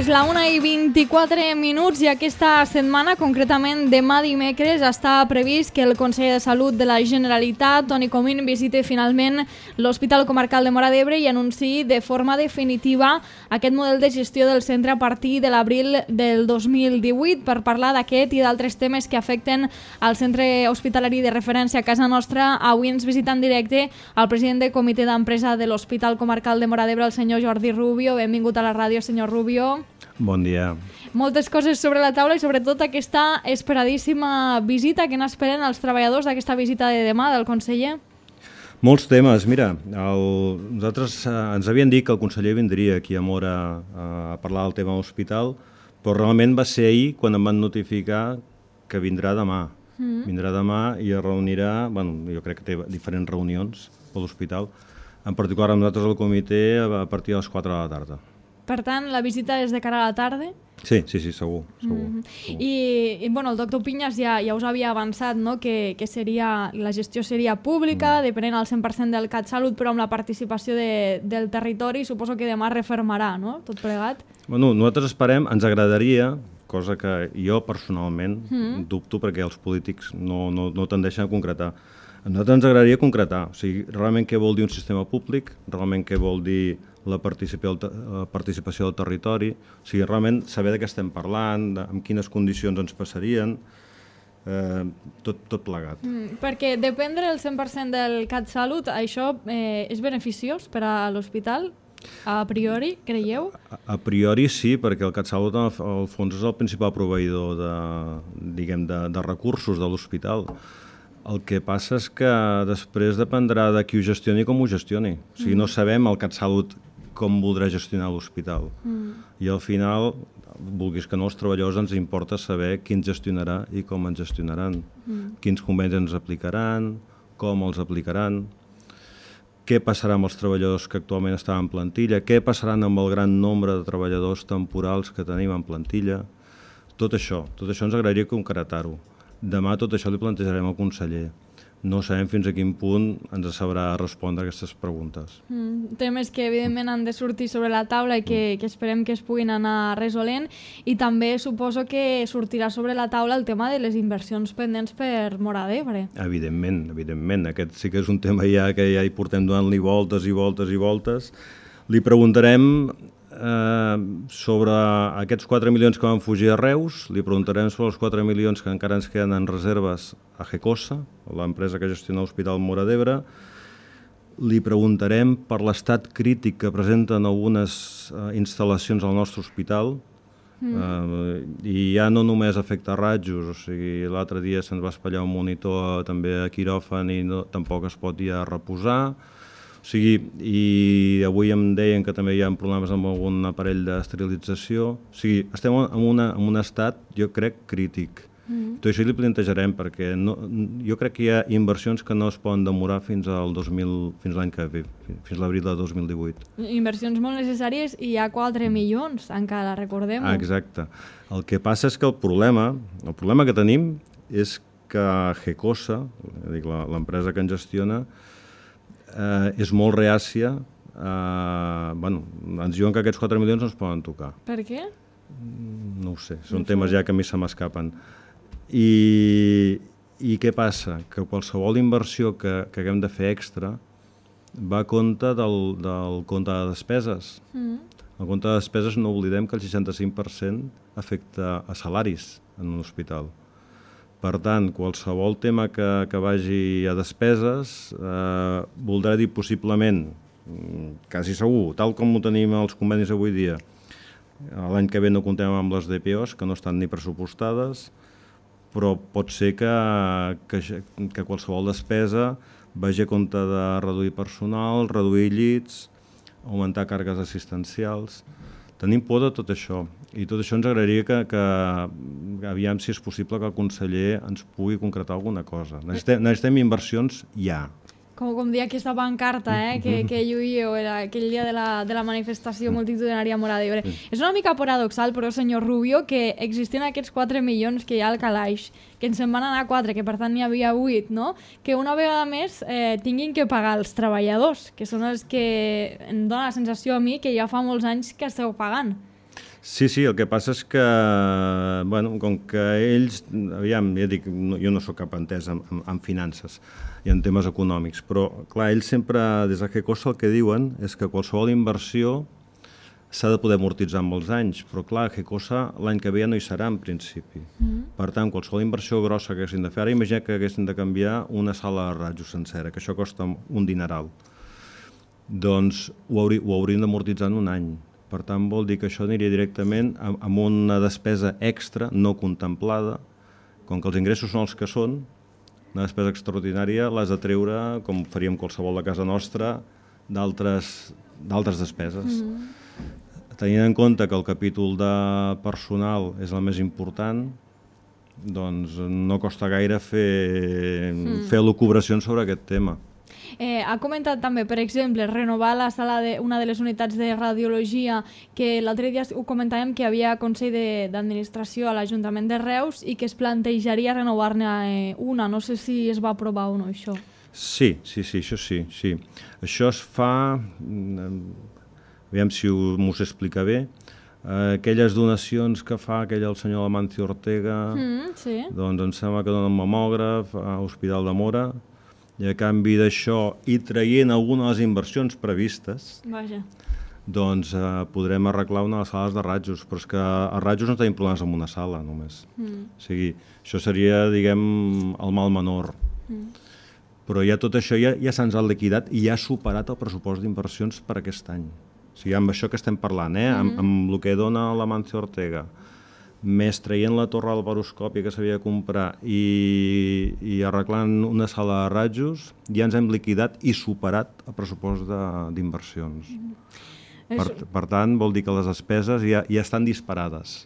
És la 1:24 i aquesta setmana, concretament demà dimecres, està previst que el conseller de Salut de la Generalitat, Toni Comín, visiti finalment l'Hospital Comarcal de Móra d'Ebre i anunciï de forma definitiva aquest model de gestió del centre a partir de l'abril del 2018. Per parlar d'aquest i d'altres temes que afecten al centre hospitalari de referència a casa nostra, avui ens visita en directe el president del comitè d'empresa de l'Hospital Comarcal de Móra d'Ebre, el senyor Jordi Rubio. Benvingut a la ràdio, senyor Rubio. Bon dia. Moltes coses sobre la taula i sobretot aquesta esperadíssima visita. Què n'esperen els treballadors d'aquesta visita de demà del conseller? Molts temes. Mira, nosaltres ens havien dit que el conseller vindria aquí a Móra a parlar del tema hospital, però realment va ser ahir quan em van notificar que vindrà demà. Vindrà demà i es reunirà, jo crec que té diferents reunions a l'hospital, en particular amb nosaltres al comitè a partir de les 4 de la tarda. Per tant, la visita és de cara a la tarda? Sí, segur. I el doctor Pinyas ja us havia avançat, no? que la gestió seria pública, depenent al 100% del CatSalut, però amb la participació del territori. Suposo que demà refermarà, no? Tot plegat. Nosaltres esperem, ens agradaria, cosa que jo personalment dubto perquè els polítics no tendeixen a concretar. A nosaltres ens agradaria concretar, o sigui, realment què vol dir un sistema públic, realment què vol dir la participació del territori, o sigui, realment saber de què estem parlant, en quines condicions ens passarien, tot plegat. Perquè dependre el 100% del CatSalut, això és beneficiós per a l'hospital? A priori, creieu? A priori sí, perquè el CatSalut al fons és el principal proveïdor de recursos de l'hospital. El que passa és que després dependrà de qui ho gestioni i com ho gestioni. O sigui, no sabem el CatSalut com voldrà gestionar l'hospital. I al final, vulguis que no, els treballadors ens importa saber qui ens gestionarà i com ens gestionaran, quins convenis ens aplicaran, com els aplicaran, què passarà amb els treballadors que actualment estan en plantilla, què passarà amb el gran nombre de treballadors temporals que tenim en plantilla. Tot això ens agradaria concretar-ho. Demà tot això li plantejarem al conseller. No sabem fins a quin punt ens sabrà respondre aquestes preguntes. Temes que evidentment han de sortir sobre la taula i que esperem que es puguin anar resolent, i també suposo que sortirà sobre la taula el tema de les inversions pendents per Móra d'Ebre. Evidentment. Aquest sí que és un tema que ja hi portem donant-li voltes i voltes i voltes. Li preguntarem sobre aquests 4 milions que van fugir a Reus, li preguntarem sobre els 4 milions que encara ens queden en reserves a Gecosa, l'empresa que gestiona l'Hospital Móra d'Ebre. Li preguntarem per l'estat crític que presenten algunes instal·lacions al nostre hospital, i ja no només afecta ratjos, o sigui, l'altre dia se'ns va espatllar un monitor també a quiròfan i tampoc es pot ja reposar. O sigui, i avui em deien que també hi ha problemes amb algun aparell d'esterilització. O sigui, estem en un estat, jo crec, crític. Tot això li plantejarem, perquè jo crec que hi ha inversions que no es poden demorar fins l'any que ve, fins l'abril de 2018. Inversions molt necessàries i hi ha 4 milions, encara, recordem-ho. Exacte. El que passa és que el problema que tenim és que Gecosa, l'empresa que ens gestiona, és molt reàcia. Ens diuen que aquests 4 milions no es poden tocar. Per què? No ho sé, són temes ja que a mi se m'escapen. I què passa? Que qualsevol inversió que haguem de fer extra va a compte del compte de despeses. El compte de despeses, no oblidem que el 65% afecta a salaris en un hospital. Per tant, qualsevol tema que vagi a despeses voldrà dir possiblement, quasi segur, tal com ho tenim els convenis avui dia, l'any que ve no comptem amb les DPOs, que no estan ni pressupostades, però pot ser que qualsevol despesa vagi a compte de reduir personal, reduir llits, augmentar càrregues assistencials. Tenim por de tot això, i tot això ens agradaria que aviam si és possible que el conseller ens pugui concretar alguna cosa. Necessitem inversions ja. Com dir aquesta pancarta que lluïeu aquell dia de la manifestació multitudinària a Móra d'Ebre. És una mica paradoxal, però, senyor Rubio, que existint aquests 4 milions que hi ha al calaix, que ens en van anar 4, que per tant n'hi havia 8, no? Que una vegada més tinguin que pagar els treballadors, que són els que em dona la sensació a mi que ja fa molts anys que esteu pagant. Sí, el que passa és que, bueno, com que ells, aviam, ja dic, jo no sóc cap entès en finances i en temes econòmics, però, clar, ells sempre, des de GECOSA, el que diuen és que qualsevol inversió s'ha de poder amortitzar en molts anys, però clar, GECOSA l'any que ve ja no hi serà en principi. Per tant, qualsevol inversió grossa que haguessin de fer, ara imagina que haguessin de canviar una sala de rajos sencera, que això costa un dineral. Doncs ho haurien d'amortitzar en un any. Per tant, vol dir que això aniria directament amb una despesa extra no contemplada, com que els ingressos són els que són, una despesa extraordinària l'has de treure, com faríem qualsevol de casa nostra, d'altres despeses. Tenint en compte que el capítol de personal és el més important, doncs no costa gaire fer elucubracions sobre aquest tema. Ha comentat també, per exemple, renovar la sala una de les unitats de radiologia, que l'altre dia ho comentàvem que hi havia Consell d'Administració a l'Ajuntament de Reus i que es plantejaria renovar-ne una. No sé si es va aprovar o no, això. Sí, això sí. Això es fa... Aviam si m'ho explica bé. Aquelles donacions que fa el senyor Amancio Ortega, doncs em sembla que dona un mamògraf a l'Hospital de Móra, i a canvi d'això, i traient alguna de les inversions previstes, doncs podrem arreglar una de les sales de rajos, però és que a rajos no tenim problemes amb una sala només. O sigui, això seria, diguem, el mal menor. Però ja tot això ja se'ns ha liquidat i ja ha superat el pressupost d'inversions per aquest any. O sigui, amb això que estem parlant, amb el que dona l'Amancio Ortega, més traient la torre del baroscòpia que s'havia de comprar i arreglant una sala de rajos, ja ens hem liquidat i superat el pressupost d'inversions. Per tant, vol dir que les despeses ja estan disparades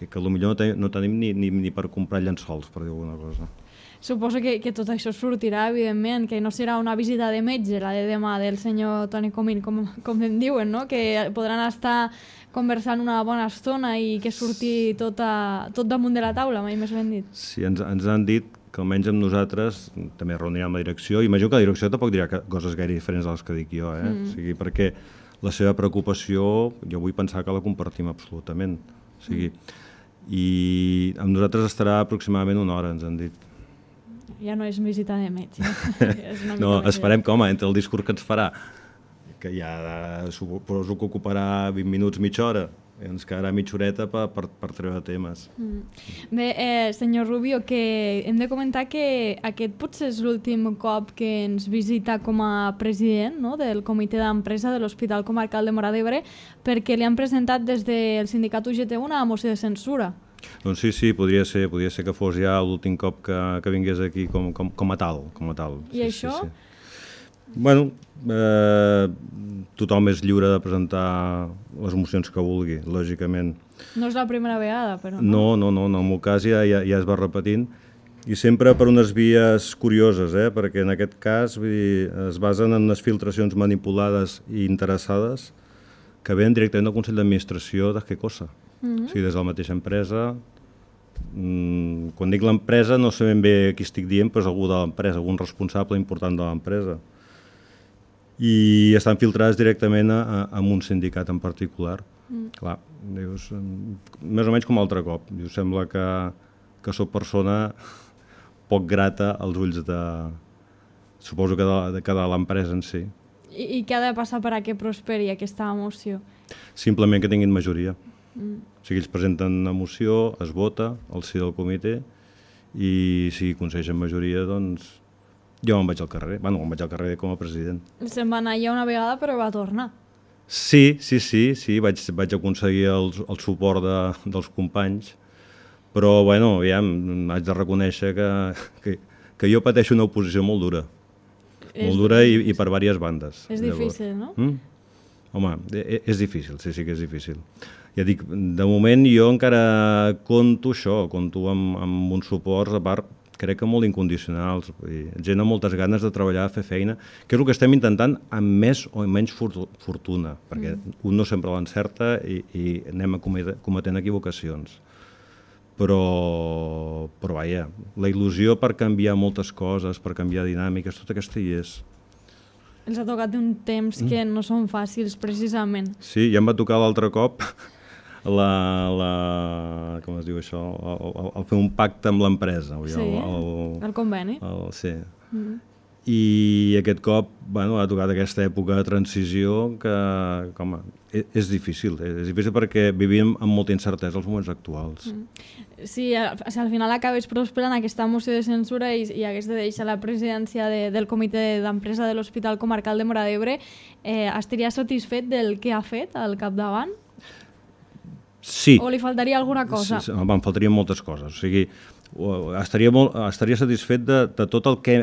i que potser no tenim ni per comprar llençols, per dir alguna cosa. Suposo que tot això sortirà, evidentment, que no serà una visita de metge, la de demà del senyor Toni Comín, com em diuen, no? Que podran estar conversant una bona estona i que surti tot damunt de la taula, mai més ben dit. Sí, ens han dit que almenys amb nosaltres també reunirem amb la direcció, i imagino que la direcció tampoc dirà coses gaire diferents de les que dic jo, o sigui, perquè la seva preocupació, jo vull pensar que la compartim absolutament. O sigui, i amb nosaltres estarà aproximadament una hora, ens han dit. Ja no és visita de metge. No, esperem que, home, entre el discurs que ens farà, que ja suposo que ocuparà 20 minuts, mitja hora, ens quedarà mitja horeta per treure temes. Bé, senyor Rubio, que hem de comentar que aquest potser és l'últim cop que ens visita com a president, no?, del comitè d'empresa de l'Hospital Comarcal de Móra d'Ebre, perquè li han presentat des del sindicat UGT una moció de censura. Doncs sí, podria ser que fos ja l'últim cop que vingués aquí com a tal. I això? Bueno, tothom és lliure de presentar les mocions que vulgui, lògicament. No és la primera vegada, però... No, en el meu cas ja es va repetint, i sempre per unes vies curioses, perquè en aquest cas es basen en unes filtracions manipulades i interessades que venen directament del Consell d'Administració de GECOSA. O sigui, des de la mateixa empresa. Quan dic l'empresa no sé ben bé qui estic dient, però és algú de l'empresa, algun responsable important de l'empresa. I estan filtrades directament amb un sindicat en particular. Clar, dius, més o menys com altre cop. Dius, sembla que soc persona poc grata als ulls de... suposo que de l'empresa en si. I què ha de passar per a que prosperi aquesta moció? Simplement que tinguin majoria. O sigui, ells presenten una moció, es vota al si del comitè i si aconsegueixen majoria, doncs jo me'n vaig al carrer. Bueno, me'n vaig al carrer com a president. Se'n va anar ja una vegada, però va tornar. Sí, vaig aconseguir el suport dels companys, però, bueno, ja haig de reconèixer que jo pateixo una oposició molt dura. Molt dura i per diverses bandes. És difícil, no? Home, és difícil, sí que és difícil. Ja dic, de moment jo encara conto amb uns suports, a part, crec que molt incondicionals, gent amb moltes ganes de treballar, de fer feina, que és el que estem intentant amb més o menys fortuna, perquè un no sempre l'encerta i anem cometent equivocacions. Però vaja, la il·lusió per canviar moltes coses, per canviar dinàmiques, tot aquesta hi és. Els ha tocat un temps que no són fàcils, precisament. Sí, ja em va tocar l'altre cop com es diu això, el fer un pacte amb l'empresa. Sí, el conveni. Sí. I aquest cop ha tocat aquesta època de transició que és difícil perquè vivim amb molta incertesa als moments actuals. Sí, al final acabes prosperant aquesta moció de censura i hagués de deixar la presidència del comitè d'empresa de l'Hospital Comarcal de Móra d'Ebre. Estaria satisfet del que ha fet al capdavant? Sí. O li faltaria alguna cosa? Sí, em faltarien moltes coses. O sigui, estaria satisfet de tot el que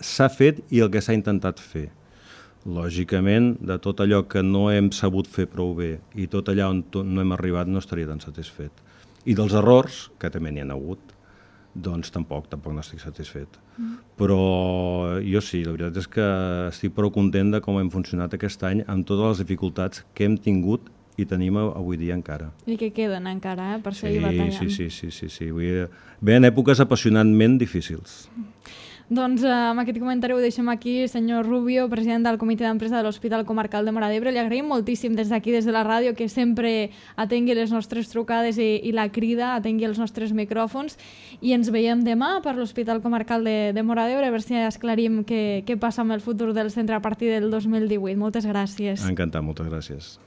s'ha fet i el que s'ha intentat fer. Lògicament, de tot allò que no hem sabut fer prou bé i tot allà on no hem arribat no estaria tan satisfet. I dels errors, que també n'hi ha hagut, doncs tampoc no estic satisfet. Però jo sí, la veritat és que estic prou content de com hem funcionat aquest any amb totes les dificultats que hem tingut i tenim avui dia encara. I que queden encara, per seguir batallant. Sí. Venen èpoques apassionantment difícils. Doncs amb aquest comentari ho deixem aquí. Senyor Rubio, president del comitè d'empresa de l'Hospital Comarcal de Móra d'Ebre, li agraïm moltíssim des d'aquí, des de la ràdio, que sempre atengui les nostres trucades i la crida, atengui els nostres micròfons, i ens veiem demà per l'Hospital Comarcal de Móra d'Ebre, a veure si esclarim què passa amb el futur del centre a partir del 2018. Moltes gràcies. Encantat, moltes gràcies.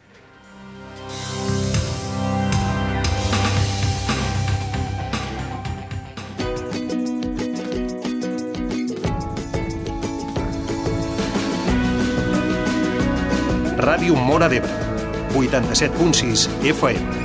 Ràdio Móra d'Ebre, 87.6 FM.